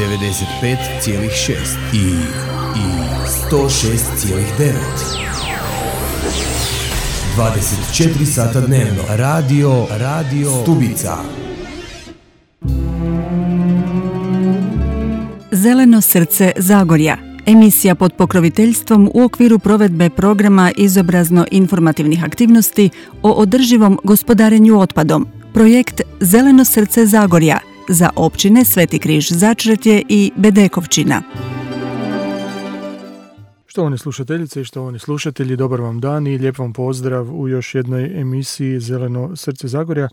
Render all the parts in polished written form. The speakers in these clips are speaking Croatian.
95,6 i 106,9. 24 sata dnevno. Radio Stubica. Zeleno srce Zagorja. Emisija pod pokroviteljstvom u okviru provedbe programa izobrazno-informativnih aktivnosti o održivom gospodarenju otpadom. Projekt Zeleno srce Zagorja za općine Sveti Križ Začretje i Bedekovčina. Štovane slušateljice i štovani slušatelji, dobar vam dan i lijep vam pozdrav u još jednoj emisiji Zeleno srce Zagorja,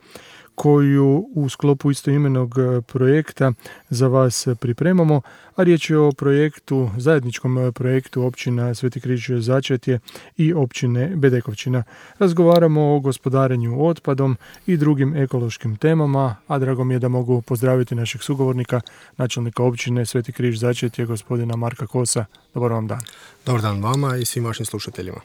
koju u sklopu istoimenog projekta za vas pripremamo, a riječ je o projektu, zajedničkom projektu općina Sveti Križ Začretje i općine Bedekovčina. Razgovaramo o gospodarenju otpadom i drugim ekološkim temama, a drago mi je da mogu pozdraviti našeg sugovornika, načelnika općine Sveti Križ Začretje, gospodina Marka Kosa. Dobar vam dan. Dobar dan vama i svim vašim slušateljima.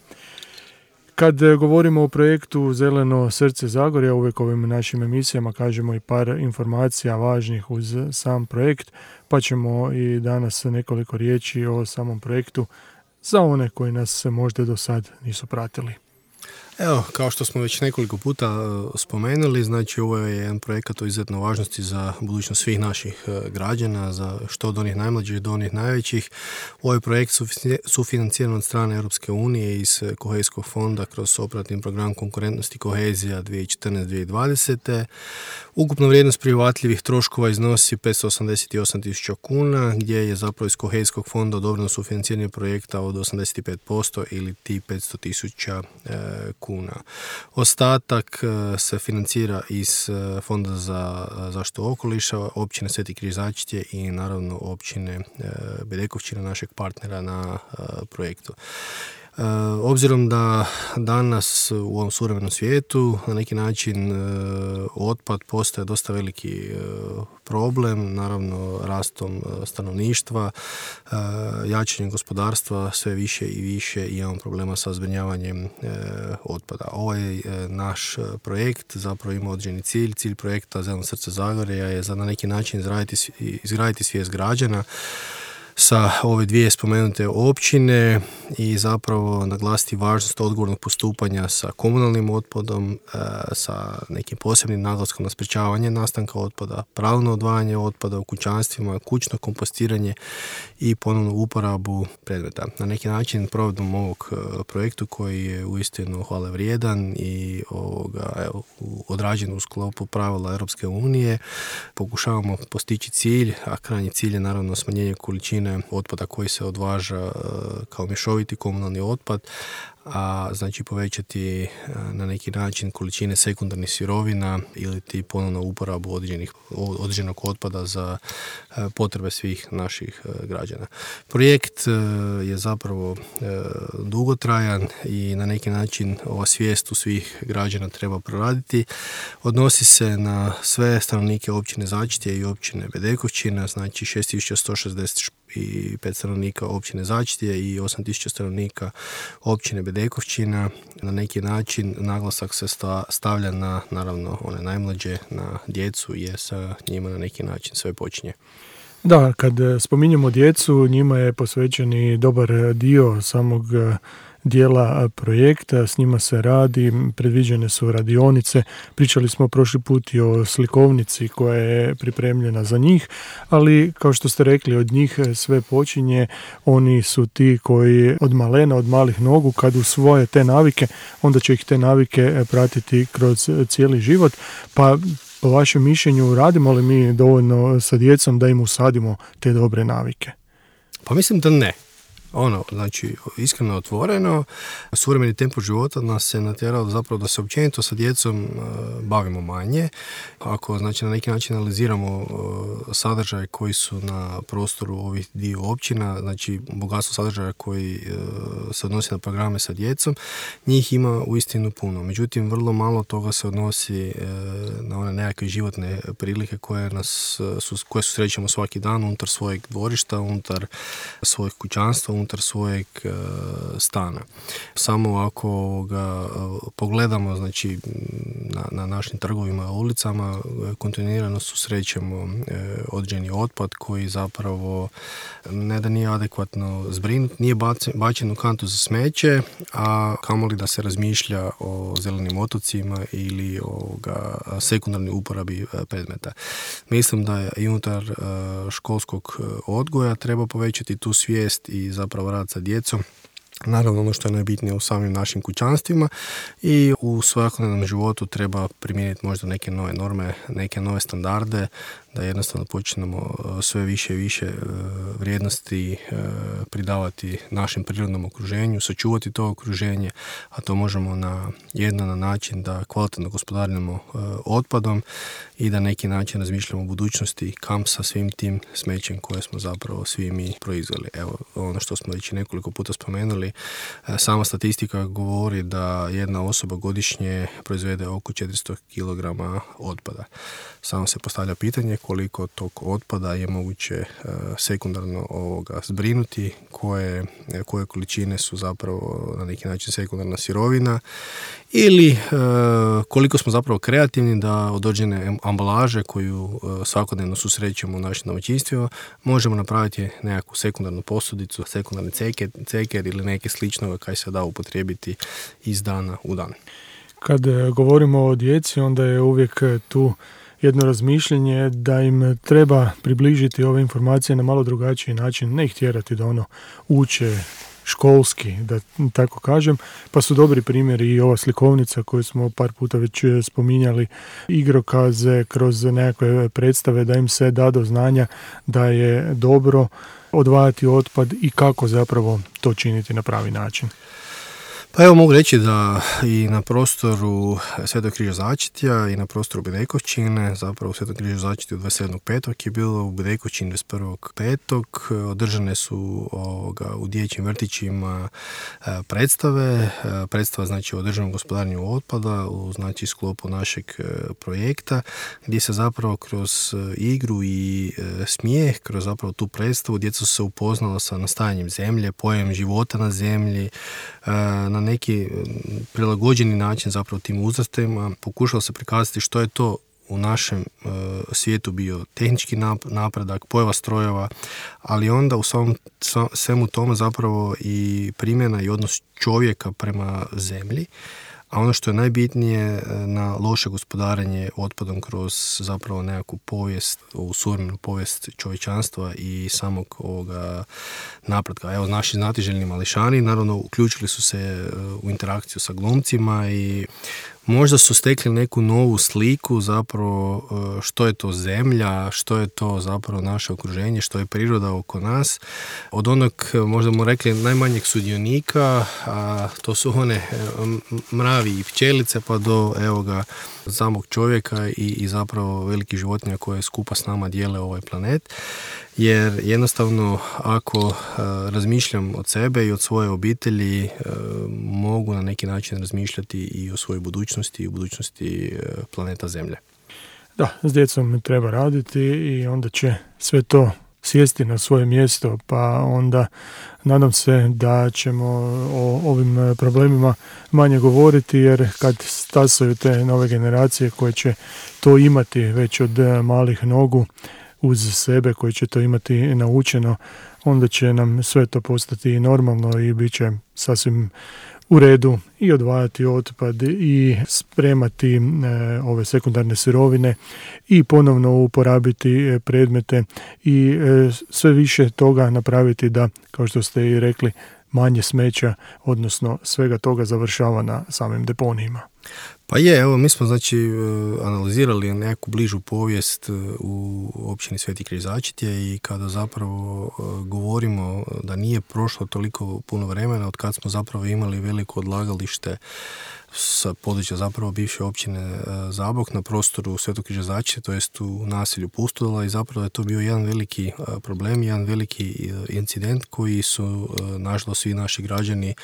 Kad govorimo o projektu Zeleno srce Zagorja, uvijek ovim našim emisijama kažemo i par informacija važnih uz sam projekt, pa ćemo i danas nekoliko riječi o samom projektu za one koji nas možda do sad nisu pratili. Evo, kao što smo već nekoliko puta spomenuli, znači ovo je jedan projekat o izuzetno važnosti za budućnost svih naših građana, za što od onih najmlađih do onih najvećih. Ovaj projekt sufinanciran od strane Europske unije iz Kohezijskog fonda kroz operativni program konkurentnosti i kohezija 2014-2020. Ukupna vrijednost prihvatljivih troškova iznosi 588.000 kuna, gdje je zapravo iz Kohezijskog fonda odobreno sufinanciranje projekta od 85% ili ti 500.000 kuna. Ostatak se financira iz Fonda za zaštitu okoliša, općine Sveti Križ Začretje i naravno općine Bedekovčina, našeg partnera na projektu. Obzirom da danas u ovom suvremenom svijetu na neki način otpad postaje dosta veliki problem, naravno rastom stanovništva, jačanjem gospodarstva, sve više i više imamo problema sa zbrinjavanjem otpada. Ovaj naš projekt zapravo ima određeni cilj. Cilj projekta Zeleno srce Zagorja je za na neki način izgraditi svijest građana sa ove dvije spomenute općine i zapravo naglasiti važnost odgovornog postupanja sa komunalnim otpadom, sa nekim posebnim naglaskom na sprječavanje nastanka otpada, pravilno odvajanje otpada u kućanstvima, kućno kompostiranje i ponovnu uporabu predmeta. Na neki način provedbom ovog projektu koji je uistinu hvale vrijedan i odrađen u sklopu pravila Europske unije, pokušavamo postići cilj, a krajnji cilj je naravno smanjenje količine otpada koji se odvaža kao mješoviti komunalni otpad, a znači povećati na neki način količine sekundarnih sirovina ili ti ponovno uporabu određenog otpada za potrebe svih naših građana. Projekt je zapravo dugotrajan i na neki način ova svijest u svih građana treba proraditi. Odnosi se na sve stanovnike općine Začretje i općine Bedekovčina, znači 6.165 stanovnika općine Začretje i 8.000 stanovnika općine Bedekovčina. Na neki način naglasak se stavlja na, naravno, one najmlađe, na djecu, jer sa njima na neki način sve počinje. Da, kad spominjemo djecu, njima je posvećen i dobar dio samog dijela projekta, s njima se radi, predviđene su radionice, pričali smo prošli put i o slikovnici koja je pripremljena za njih, ali kao što ste rekli, od njih sve počinje, oni su ti koji od malena, od malih nogu, kad usvoje te navike, onda će ih te navike pratiti kroz cijeli život, pa po vašem mišljenju radimo li mi dovoljno sa djecom da im usadimo te dobre navike? Pa mislim da ne. Znači, iskreno otvoreno, suvremeni tempo života nas se natjerao zapravo da se općenito sa djecom bavimo manje. Ako, znači, na neki način analiziramo sadržaje koji su na prostoru ovih dio općina, znači bogatstvo sadržaja koji se odnosi na programe sa djecom, njih ima uistinu puno. Međutim, vrlo malo toga se odnosi na one nekakve životne prilike koje srećemo svaki dan unutar svojeg dvorišta, unutar svojeg kućanstva, unutar svojeg stana. Samo ako pogledamo, znači, na našim trgovima, ulicama, kontinuirano susrećemo određeni otpad koji zapravo ne da nije adekvatno zbrinut, nije bačen u kantu za smeće, a kamoli da se razmišlja o zelenim otocima ili o sekundarnoj uporabi predmeta. Mislim da i unutar školskog odgoja treba povećati tu svijest i zapravo rad sa djecom. Naravno, ono što je najbitnije u samim našim kućanstvima i u svakodnevnom životu treba primijeniti možda neke nove norme, neke nove standarde, da jednostavno počnemo sve više i više vrijednosti pridavati našem prirodnom okruženju, sačuvati to okruženje, a to možemo na način da kvalitetno gospodarimo otpadom i da neki način razmišljamo o budućnosti kam sa svim tim smećem koje smo zapravo svi mi proizveli. Evo, ono što smo već nekoliko puta spomenuli, sama statistika govori da jedna osoba godišnje proizvede oko 400 kg otpada. Samo se postavlja pitanje koliko tog otpada je moguće sekundarno zbrinuti, koje količine su zapravo na neki način sekundarna sirovina ili koliko smo zapravo kreativni da od određene ambalaže koju svakodnevno susrećemo u našim domaćinstvima možemo napraviti nekakvu sekundarnu posudicu, sekundarni ceker ili neke sličnoga kaj se da upotrijebiti iz dana u dan. Kad govorimo o djeci, onda je uvijek tu jedno razmišljanje da im treba približiti ove informacije na malo drugačiji način, ne ih tjerati da uče školski, da tako kažem, pa su dobri primjeri i ova slikovnica koju smo par puta već spominjali, igrokaze kroz nekakve predstave, da im se da do znanja da je dobro odvajati otpad i kako zapravo to činiti na pravi način. Pa evo, mogu reći da i na prostoru Svetog križa Začetja i na prostoru Bedekovčine, zapravo u Svetom križu Začetju 27.5. je bilo, u Bedekovčini 21.5. održane su u dječjim vrtićima predstava znači o održivom gospodarenju otpada u znači sklopu našeg projekta, gdje se zapravo kroz igru i smijeh, kroz zapravo tu predstavu, djeca su se upoznala sa nastajanjem zemlje, pojam života na zemlji, na neki prilagođeni način zapravo tim uzrastima pokušalo se prikazati što je to u našem svijetu bio tehnički napredak, pojava strojeva, ali onda u svemu tome zapravo i primjena i odnos čovjeka prema zemlji, a ono što je najbitnije na loše gospodarenje otpadom kroz zapravo nekakvu povijest, ovu suvremenu povijest čovječanstva i samog ovoga napretka. Evo, naši znatiželjni mališani naravno uključili su se u interakciju sa glumcima i možda su stekli neku novu sliku zapravo što je to zemlja, što je to zapravo naše okruženje, što je priroda oko nas. Od onog, možda mu rekli, najmanjeg sudionika, a to su one mravi i pčelice, pa do samog čovjeka i zapravo velikih životinja koje skupa s nama dijele ovaj planet. Jer jednostavno ako razmišljam od sebe i od svoje obitelji, mogu na neki način razmišljati i o svojoj budućnosti i o budućnosti planeta Zemlje. Da, s djecom treba raditi i onda će sve to sjesti na svoje mjesto, pa onda nadam se da ćemo o ovim problemima manje govoriti, jer kad stasaju te nove generacije koje će to imati već od malih nogu uz sebe, koji će to imati naučeno, onda će nam sve to postati normalno i bit će sasvim u redu i odvajati otpad i spremati ove sekundarne sirovine i ponovno uporabiti predmete i sve više toga napraviti da, kao što ste i rekli, manje smeća, odnosno svega toga završava na samim deponijima. Pa je, evo, mi smo znači analizirali neku bližu povijest u općini Sveti križ Začetje i kada zapravo govorimo da nije prošlo toliko puno vremena od kad smo zapravo imali veliko odlagalište sa područja zapravo bivše općine Zabok na prostoru Svetog Križa Začite, to jest u naselju Pustola, i zapravo je to bio jedan veliki problem, jedan veliki incident koji su nažalost svi naši građani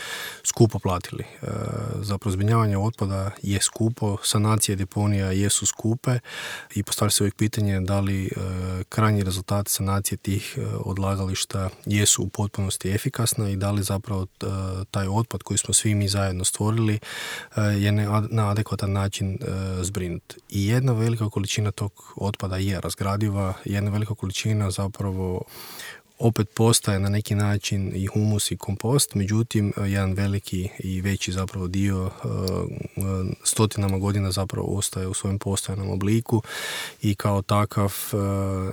skupo platili. Zapravo zbrinjavanje otpada je skupo, sanacije deponija jesu skupe i postavlja se uvijek pitanje da li krajnji rezultat sanacije tih odlagališta jesu u potpunosti efikasna i da li zapravo taj otpad koji smo svi mi zajedno stvorili je na adekvatan način zbrinut. I jedna velika količina tog otpada je razgradiva, jedna velika količina zapravo opet postaje na neki način i humus i kompost, međutim jedan veliki i veći zapravo dio stotinama godina zapravo ostaje u svojem postojanom obliku i kao takav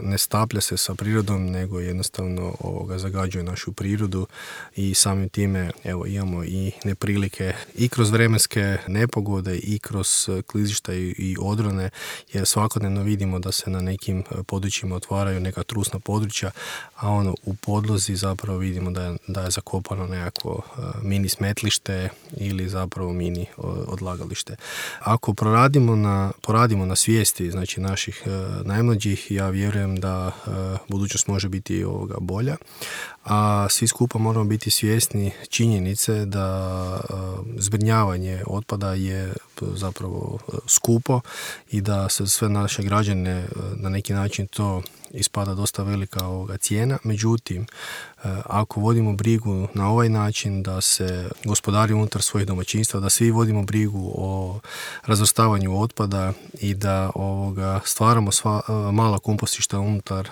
ne staplja se sa prirodom, nego jednostavno zagađuje našu prirodu i samim time imamo i neprilike i kroz vremenske nepogode i kroz klizišta i odrone, jer svakodnevno vidimo da se na nekim područjima otvaraju neka trusna područja, a u podlozi zapravo vidimo da je zakopano nekako mini smetlište ili zapravo mini odlagalište. Ako poradimo na svijesti, znači naših najmlađih, ja vjerujem da budućnost može biti bolja, a svi skupa moramo biti svjesni činjenice da zbrinjavanje otpada je zapravo skupo i da se sve naše građane na neki način to ispada dosta velika cijena. Međutim, ako vodimo brigu na ovaj način da se gospodari unutar svojih domaćinstva, da svi vodimo brigu o razvrstavanju otpada i da stvaramo mala kompostišta unutar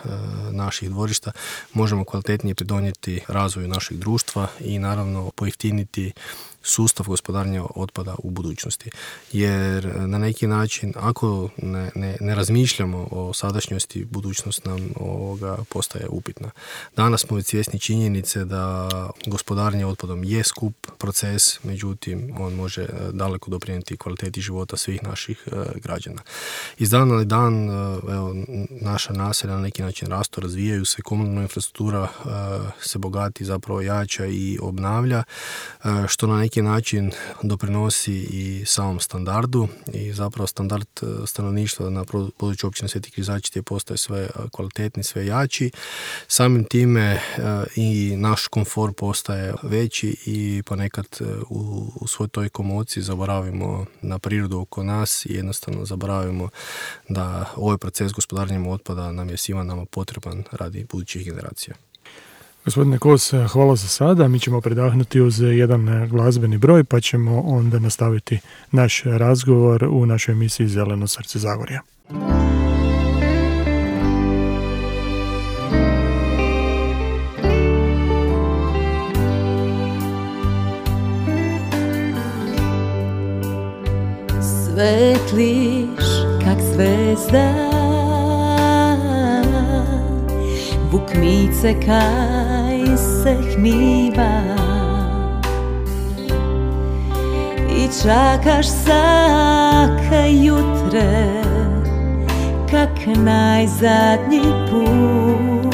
naših dvorišta, možemo kvalitetnije pridonijeti razvoju našeg društva i naravno pojeftiniti sustav gospodarenja otpada u budućnosti. Jer na neki način, ako ne razmišljamo o sadašnjosti, budućnost nam postaje upitna. Danas smo već svjesni činjenice da gospodarenje otpadom je skup proces, međutim on može daleko doprinijeti kvaliteti života svih naših građana. Iz dana na dan naša naselja na neki način rastu, razvijaju se, komunalna infrastruktura se bogati, zapravo jača i obnavlja, što na neki način doprinosi i samom standardu i zapravo standard stanovništva na području općine Sveti Križ Začite postaje sve kvalitetni, sve jači. Samim time i naš komfor postaje veći i ponekad u svoj toj komociji zaboravimo na prirodu oko nas i jednostavno zaboravimo da ovaj proces gospodarenja otpada nam je svima nama potreban radi budućih generacija. Gospodine Kos, hvala za sada. Mi ćemo predahnuti uz jedan glazbeni broj, pa ćemo onda nastaviti naš razgovor u našoj emisiji Zeleno srce Zagorja. Svetliš kak zvezda, bukmice kaj se hmiva i čakaš svaka jutre kak najzadnji put.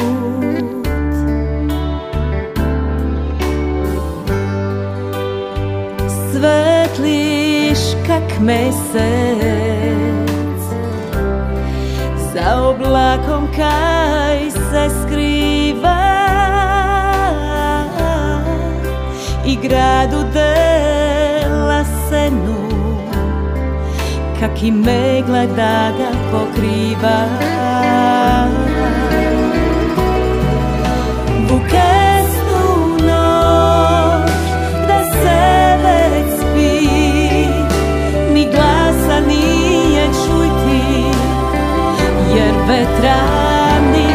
Svetliš kak mesec, za oblakom kaj se skriva i gradu dela senu, kak i megla da ga pokriva. Buketnu noć da se već spi, ni glasa nije čuti, jer vetrani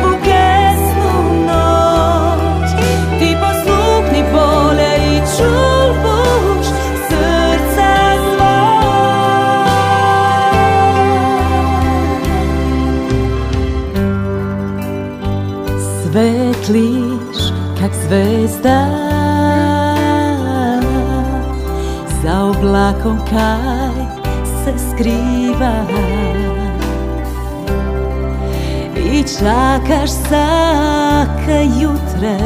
buketnu noć ti posluhni bolje i čuš srca svoj. Svetliš kak zvezda, za oblakom kaj se skriva i čakaš svaka jutre,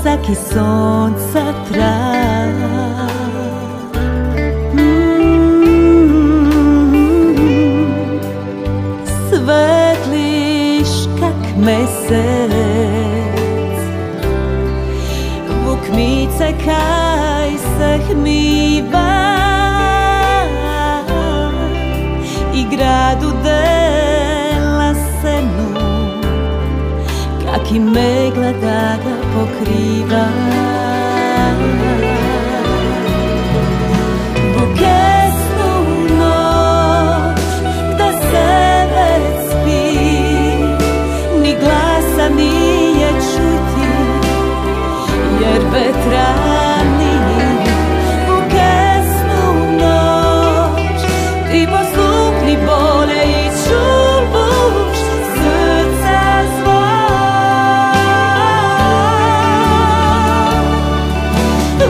svaki sonca trag. mesec. Vuk mice kaj se hmiva i gradu dela senu, kak i megla da ga pokriva. Vukesnu noć da se već spi, ni glasa nije čuti, jer vetra nije. Vukesnu noć i posluh ni bole i čubuš srca zva.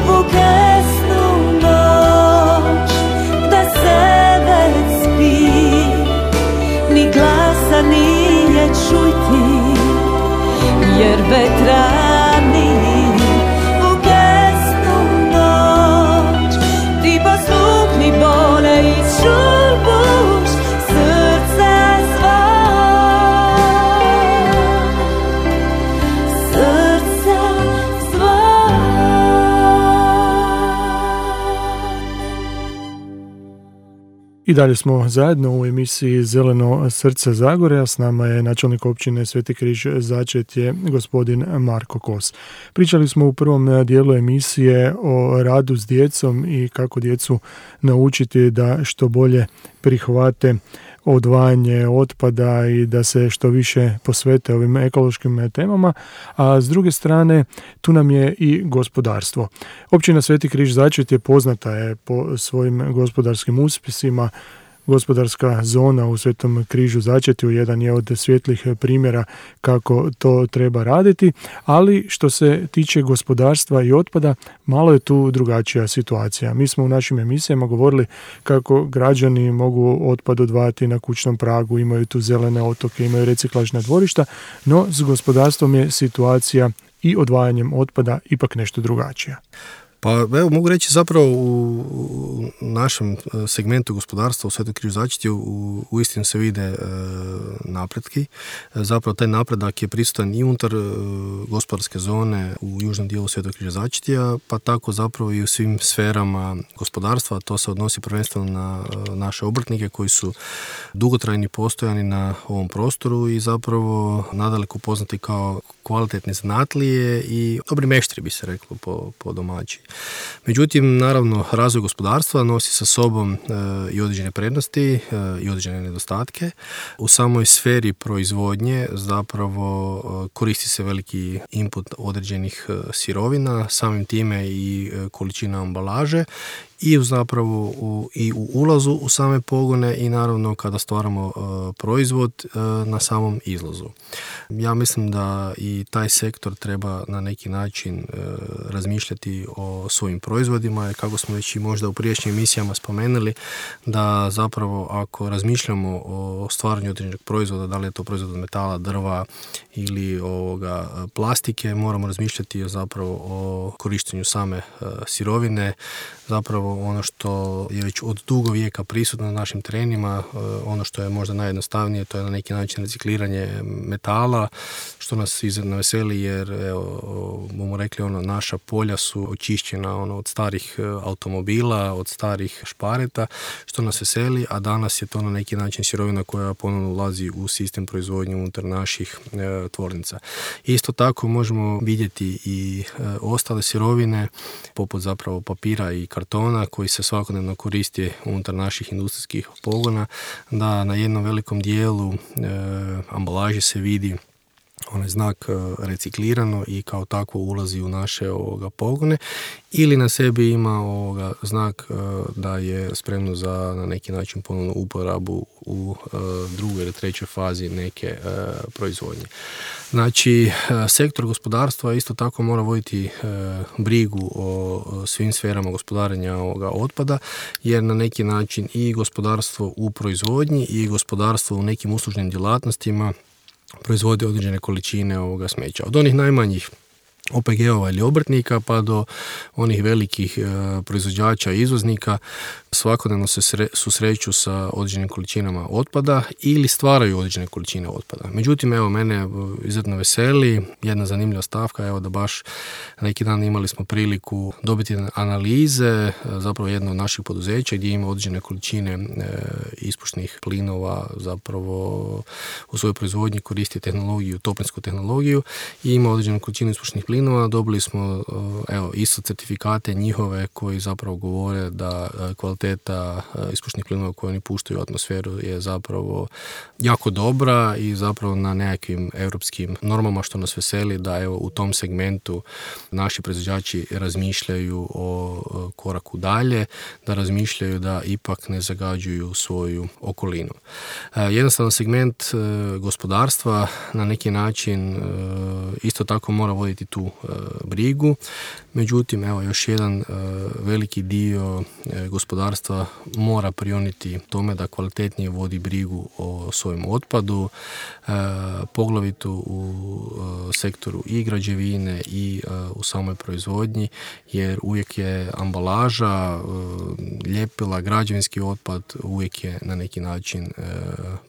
Vukesnu noć da se već spi, ni glasa nije čuti, jer vetra nije. Vukesnu noć ti posluhni bole i čubuš srca zva. Srca zva. I dalje smo zajedno u emisiji Zeleno srce Zagorja. S nama je načelnik općine Sveti Križ Začetje, gospodin Marko Kos. Pričali smo u prvom dijelu emisije o radu s djecom i kako djecu naučiti da što bolje prihvate odvajanje otpada i da se što više posvete ovim ekološkim temama, a s druge strane tu nam je i gospodarstvo. Općina Sveti Križ Začetje poznata je po svojim gospodarskim uspjesima. Gospodarska zona u Svetom Križu Začetju jedan je od svjetlih primjera kako to treba raditi, ali što se tiče gospodarstva i otpada, malo je tu drugačija situacija. Mi smo u našim emisijama govorili kako građani mogu otpad odvajati na kućnom pragu, imaju tu zelene otoke, imaju reciklažna dvorišta, no s gospodarstvom je situacija i odvajanjem otpada ipak nešto drugačija. Pa evo, mogu reći zapravo u našem segmentu gospodarstva u Svetom Križu Začetju uistinu se vide napretki. Zapravo taj napredak je prisutan i unutar gospodarske zone u južnom dijelu Svetog Križa Začetja, pa tako zapravo i u svim sferama gospodarstva. To se odnosi prvenstveno na naše obrtnike koji su dugotrajni postojani na ovom prostoru i zapravo nadaleko poznati kao kvalitetni zanatlije i dobri meštri, bi se reklo po domaći. Međutim, naravno, razvoj gospodarstva nosi sa sobom i određene prednosti i određene nedostatke. U samoj sferi proizvodnje zapravo koristi se veliki input određenih sirovina, samim time i količina ambalaže i zapravo i u ulazu u same pogone i naravno kada stvaramo proizvod na samom izlazu. Ja mislim da i taj sektor treba na neki način razmišljati o svojim proizvodima, jer kako smo već i možda u prijašnjim emisijama spomenuli, da zapravo ako razmišljamo o stvaranju određenog proizvoda, da li je to proizvod od metala, drva ili plastike, moramo razmišljati zapravo o korištenju same sirovine, zapravo ono što je već od dugo vijeka prisutno na našim terenima, ono što je možda najjednostavnije, to je na neki način recikliranje metala, što nas izuzetno veseli jer bomo rekli naša polja su očišćena od starih automobila, od starih špareta, što nas veseli, a danas je to na neki način sirovina koja ponovno ulazi u sistem proizvodnje unutar naših tvornica. Isto tako možemo vidjeti i ostale sirovine poput zapravo papira i kartona koji se svakodnevno koristi unutar naših industrijskih pogona, da na jednom velikom dijelu ambalaže se vidi onaj znak reciklirano i kao takvo ulazi u naše pogone ili na sebi ima znak da je spremno za na neki način ponovnu uporabu u drugoj ili trećoj fazi neke proizvodnje. Znači, sektor gospodarstva isto tako mora voditi brigu o svim sferama gospodarenja otpada, jer na neki način i gospodarstvo u proizvodnji i gospodarstvo u nekim uslužnim djelatnostima proizvode određene količine smeća. Od onih najmanjih OPG-ova ili obrtnika pa do onih velikih proizvođača i izvoznika svakodnevno se susreću sa određenim količinama otpada ili stvaraju određene količine otpada. Međutim, evo, mene izuzetno veseli jedna zanimljiva stavka, evo da baš neki dan imali smo priliku dobiti analize, zapravo jedno od naših poduzeća gdje ima određene količine ispušnih plinova, zapravo u svojoj proizvodnji koristi tehnologiju, toplinsku tehnologiju i ima određenu količinu ispušnih plinova. Dobili smo isto certifikate njihove koji zapravo govore da kvaliteta ispušnih plinova koje oni puštaju u atmosferu je zapravo jako dobra i zapravo na nekakvim europskim normama, što nas veseli da evo u tom segmentu naši proizvođači razmišljaju o koraku dalje, da razmišljaju da ipak ne zagađuju svoju okolinu. Jednostavno segment gospodarstva na neki način isto tako mora voditi tu brigu. Međutim, evo još jedan veliki dio gospodarstva mora prioniti tome da kvalitetnije vodi brigu o svojem otpadu, poglavito u sektoru i građevine i u samoj proizvodnji, jer uvijek je ambalaža, ljepila, građevinski otpad uvijek je na neki način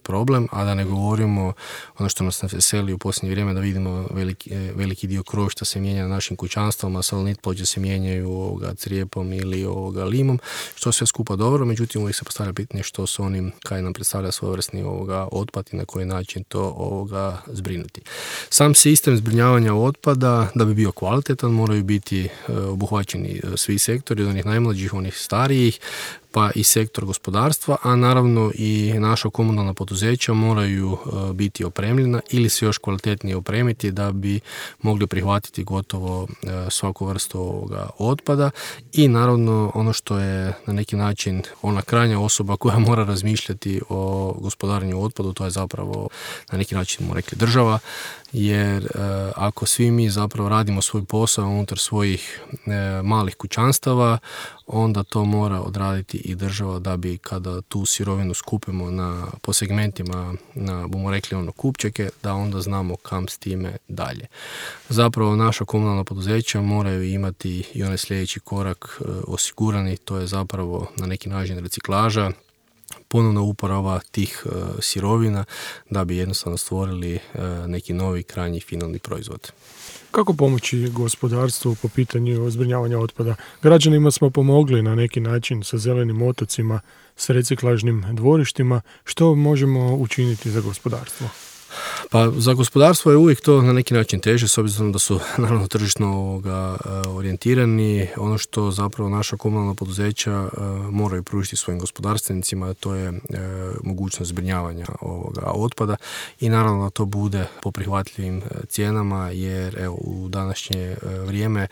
problem, a da ne govorimo ono što nas veseli u posljednje vrijeme da vidimo veliki dio krošta se mijenja na našim kućanstvama, salonit ploče se mijenjaju crijepom ili limom, što sve skupa dobro, međutim uvijek se postavlja pitanje što s onim kaj nam predstavlja svojevrsni otpad i na koji način to zbrinuti. Sam sistem zbrinjavanja otpada, da bi bio kvalitetan, moraju biti obuhvaćeni svi sektori, od onih najmlađih, onih starijih, pa i sektor gospodarstva, a naravno i naša komunalna poduzeća moraju biti opremljena ili se još kvalitetnije opremiti da bi mogli prihvatiti gotovo svaku vrstu otpada i naravno ono što je na neki način ona krajnja osoba koja mora razmišljati o gospodarenju otpadu, to je zapravo na neki način mu rekli država, jer ako svi mi zapravo radimo svoj posao unutar svojih malih kućanstava, onda to mora odraditi i država da bi kada tu sirovinu skupimo po segmentima bomo rekli kupčeke, da onda znamo kam s time dalje. Zapravo naša komunalna poduzeća moraju imati i onaj sljedeći korak osigurani, to je zapravo na neki način reciklaža, ponovna uporaba tih sirovina da bi jednostavno stvorili neki novi krajnji finalni proizvod. Kako pomoći gospodarstvu po pitanju zbrinjavanja otpada? Građanima smo pomogli na neki način sa zelenim otocima, s reciklažnim dvorištima. Što možemo učiniti za gospodarstvo? Pa za gospodarstvo je uvijek to na neki način teže, s obzirom da su naravno tržišno orijentirani. Ono što zapravo naša komunalna poduzeća moraju pružiti svojim gospodarstvenicima, to je mogućnost zbrinjavanja otpada i naravno da to bude po prihvatljivim cijenama, jer evo, u današnje vrijeme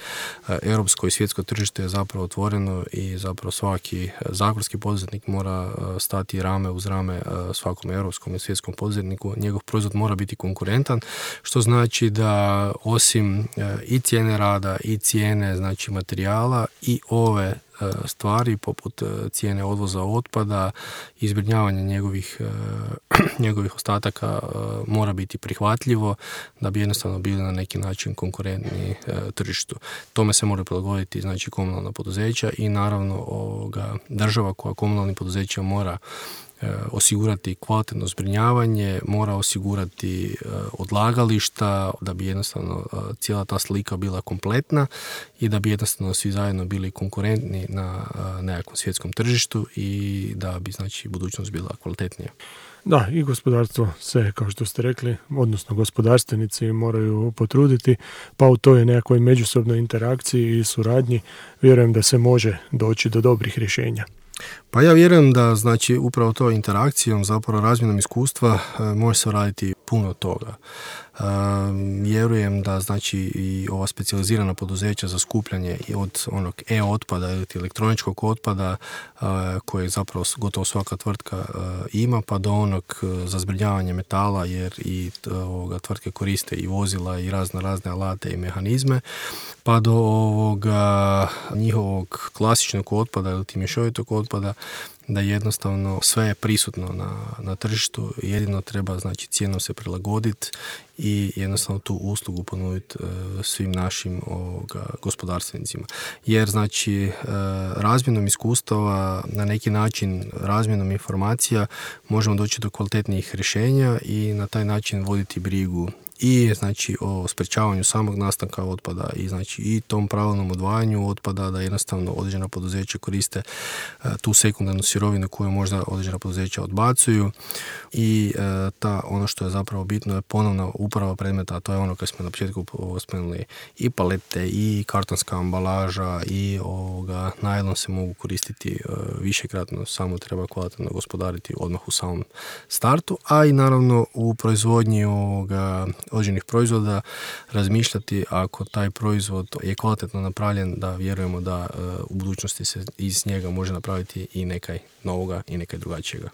europsko i svjetsko tržište je zapravo otvoreno i zapravo svaki zagorski poduzetnik mora stati rame uz rame svakom europskom i svjetskom poduzetniku. Njegov proizvod mora biti konkurentan, što znači da osim i cijene rada i cijene znači materijala i ove stvari poput cijene odvoza otpada i zbrinjavanja njegovih ostataka mora biti prihvatljivo da bi jednostavno bili na neki način konkurentni tržištu. Tome se mora prilagoditi znači komunalna poduzeća i naravno država koja komunalnim poduzećima mora osigurati kvalitetno zbrinjavanje, mora osigurati odlagališta da bi jednostavno cijela ta slika bila kompletna i da bi jednostavno svi zajedno bili konkurentni na nekakvom svjetskom tržištu i da bi znači budućnost bila kvalitetnija. Da, i gospodarstvo se, kao što ste rekli, odnosno gospodarstvenici moraju potruditi, pa u toj nekakvoj međusobnoj interakciji i suradnji vjerujem da se može doći do dobrih rješenja. Pa ja vjerujem da znači upravo to interakcijom, zapravo razmjenom iskustva može se raditi puno toga. Vjerujem da znači i ova specijalizirana poduzeća za skupljanje od onog e-otpada ili elektroničkog otpada koje zapravo gotovo svaka tvrtka ima, pa do onog za zbrinjavanje metala, jer i tvrtke koriste i vozila i razne alate i mehanizme, pa do ovoga njihovog klasičnog otpada ili mješovitog otpada da jednostavno sve je prisutno na tržištu, jedino treba znači cijenom se prilagoditi i jednostavno tu uslugu ponuditi svim našim gospodarstvenicima. Jer znači razmjenom iskustava, na neki način razmjenom informacija možemo doći do kvalitetnijih rješenja i na taj način voditi brigu i znači o sprečavanju samog nastanka otpada i znači i tom pravilnom odvajanju otpada, da jednostavno određena poduzeća koriste tu sekundarnu sirovinu koju možda određena poduzeća odbacuju i ono što je zapravo bitno je ponovna uporaba predmeta, a to je ono kad smo na početku spomenuli, i palete i kartonska ambalaža i najlon se mogu koristiti višekratno, samo treba kvalitetno gospodariti odmah u samom startu, a i naravno u proizvodnji određenih proizvoda razmišljati ako taj proizvod je kvalitetno napravljen, da vjerujemo da u budućnosti se iz njega može napraviti i nekaj novoga i nekaj drugačijega.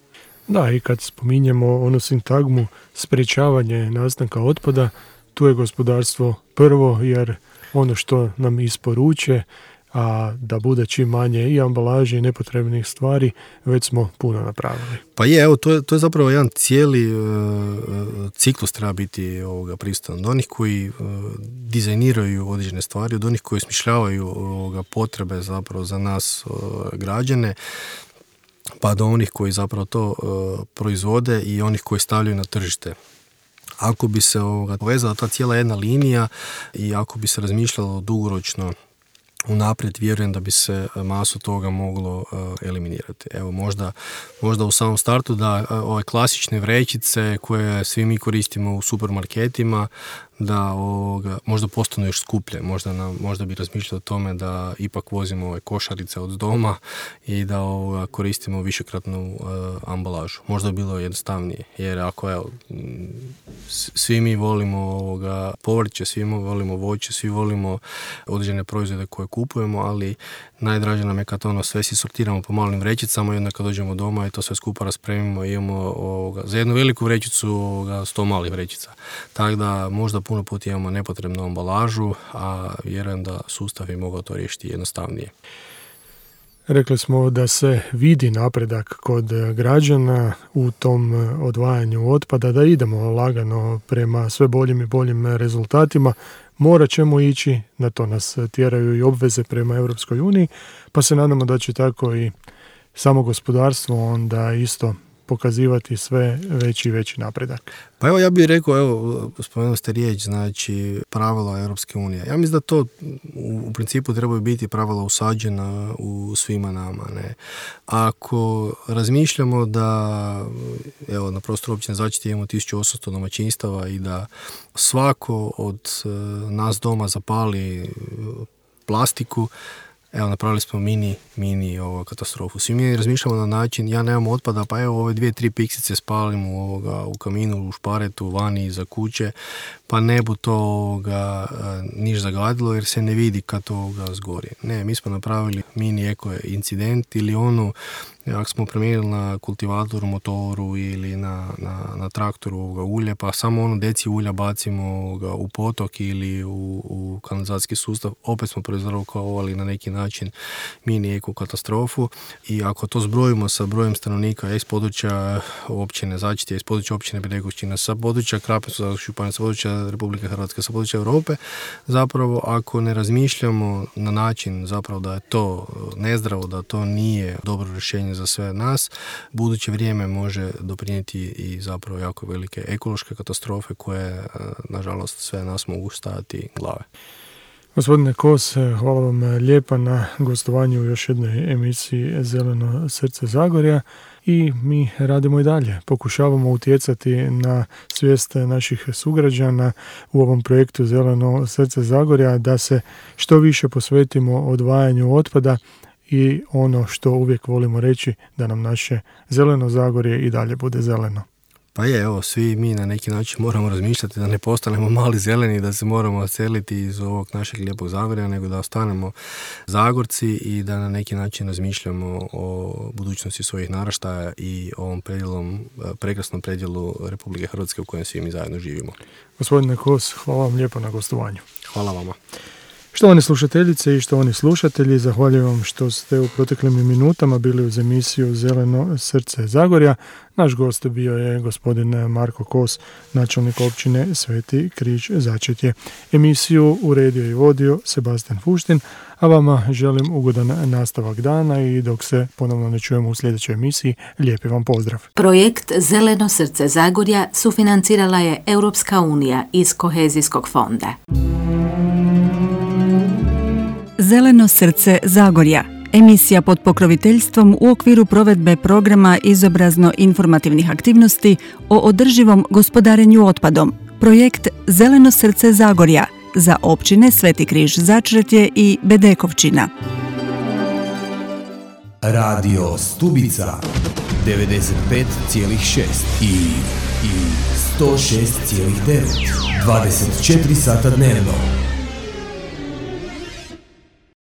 Da, i kad spominjemo onu sintagmu sprečavanje nastanka otpada, tu je gospodarstvo prvo, jer ono što nam isporuče, a da bude čim manje i ambalaže i nepotrebnih stvari, već smo puno napravili. Pa je, evo, to je zapravo jedan cijeli ciklus treba biti prisutan. Od onih koji dizajniraju određene stvari, od onih koji smišljavaju potrebe zapravo za nas građane, pa do onih koji zapravo to proizvode i onih koji stavljaju na tržište. Ako bi se povezala ta cijela jedna linija i ako bi se razmišljalo dugoročno unaprijed, vjerujem da bi se masu toga moglo eliminirati. Evo, možda u samom startu da ove klasične vrećice koje svi mi koristimo u supermarketima, da možda postanu još skuplje. Možda bi razmišljali o tome da ipak vozimo ove košarice od doma i da koristimo višekratnu ambalažu. Možda bi bilo jednostavnije, jer ako svi mi volimo povrće, svi mi volimo voće, svi volimo određene proizvode koje kupujemo, ali najdraže nam je kad sve si sortiramo po malim vrećicama i onda kad dođemo doma i to sve skupa raspremimo i imamo za jednu veliku vrećicu 100 malih vrećica. Tako da možda puno puta imamo nepotrebnu ambalažu, a vjerujem da sustav je mogao to riješiti jednostavnije. Rekli smo da se vidi napredak kod građana u tom odvajanju otpada, da idemo lagano prema sve boljim i boljim rezultatima. Morat ćemo ići, na to nas tjeraju i obveze prema Europskoj uniji, pa se nadamo da će tako i samo gospodarstvo onda isto pokazivati sve veći i veći napredak. Pa evo, ja bih rekao, spomenuli ste riječ, znači pravila Europske unije. Ja mislim da to u principu trebaju biti pravila usađena u svima nama. Ne? Ako razmišljamo da na prostoru općine Začetje imamo 1800 domaćinstava i da svako od nas doma zapali plastiku, napravili smo mini katastrofu. Svi mi razmišljamo na način, ja nemam otpada, pa ove 2-3 piksice spalim u kaminu, u šparetu, vani, iza kuće, pa ne bu to niš zagadilo jer se ne vidi kad to zgori. Ne, mi smo napravili mini eko incident ili ako smo promijenili na kultivatoru, motoru ili na traktoru ulje, pa samo deci ulja bacimo u potok ili u kanalizacijski sustav, opet smo proizrokovali na neki način mini eko katastrofu. I ako to zbrojimo sa brojem stanovnika iz područja općine Začetje, iz područja općine Bedekovčina, sa područja Krapinsko-zagorske županije, sa područja Republike Hrvatske, sa područja Europe, zapravo ako ne razmišljamo na način zapravo da je to nezdravo, da to nije dobro rješenje za sve nas, buduće vrijeme može doprinijeti i zapravo jako velike ekološke katastrofe koje, nažalost, sve nas mogu stajati glave. Gospodine Kos, hvala vam lijepa na gostovanju u još jednoj emisiji Zeleno srce Zagorja i mi radimo i dalje. Pokušavamo utjecati na svijest naših sugrađana u ovom projektu Zeleno srce Zagorja da se što više posvetimo odvajanju otpada i ono što uvijek volimo reći, da nam naše zeleno Zagorje i dalje bude zeleno. Pa svi mi na neki način moramo razmišljati da ne postanemo mali zeleni, da se moramo seliti iz ovog našeg lijepog Zagorja, nego da ostanemo Zagorci i da na neki način razmišljamo o budućnosti svojih naraštaja i ovom prekrasnom predjelu Republike Hrvatske u kojem svi mi zajedno živimo. Gospodine Kos, hvala vam lijepo na gostovanju. Hvala vama. Štovane slušateljice i štovani slušatelji, zahvaljujem vam što ste u proteklim minutama bili uz emisiju Zeleno srce Zagorja. Naš gost bio je gospodin Marko Kos, načelnik općine Sveti Križ Začetje. Emisiju uredio i vodio Sebastian Fuštin, a vama želim ugodan nastavak dana i dok se ponovno ne čujemo u sljedećoj emisiji, lijepi vam pozdrav. Projekt Zeleno srce Zagorja sufinancirala je Europska unija iz Kohezijskog fonda. Zeleno srce Zagorja, emisija pod pokroviteljstvom u okviru provedbe programa izobrazno-informativnih aktivnosti o održivom gospodarenju otpadom. Projekt Zeleno srce Zagorja za općine Sveti Križ Začretje i Bedekovčina. Radio Stubica 95,6 i 106,9 24 sata dnevno.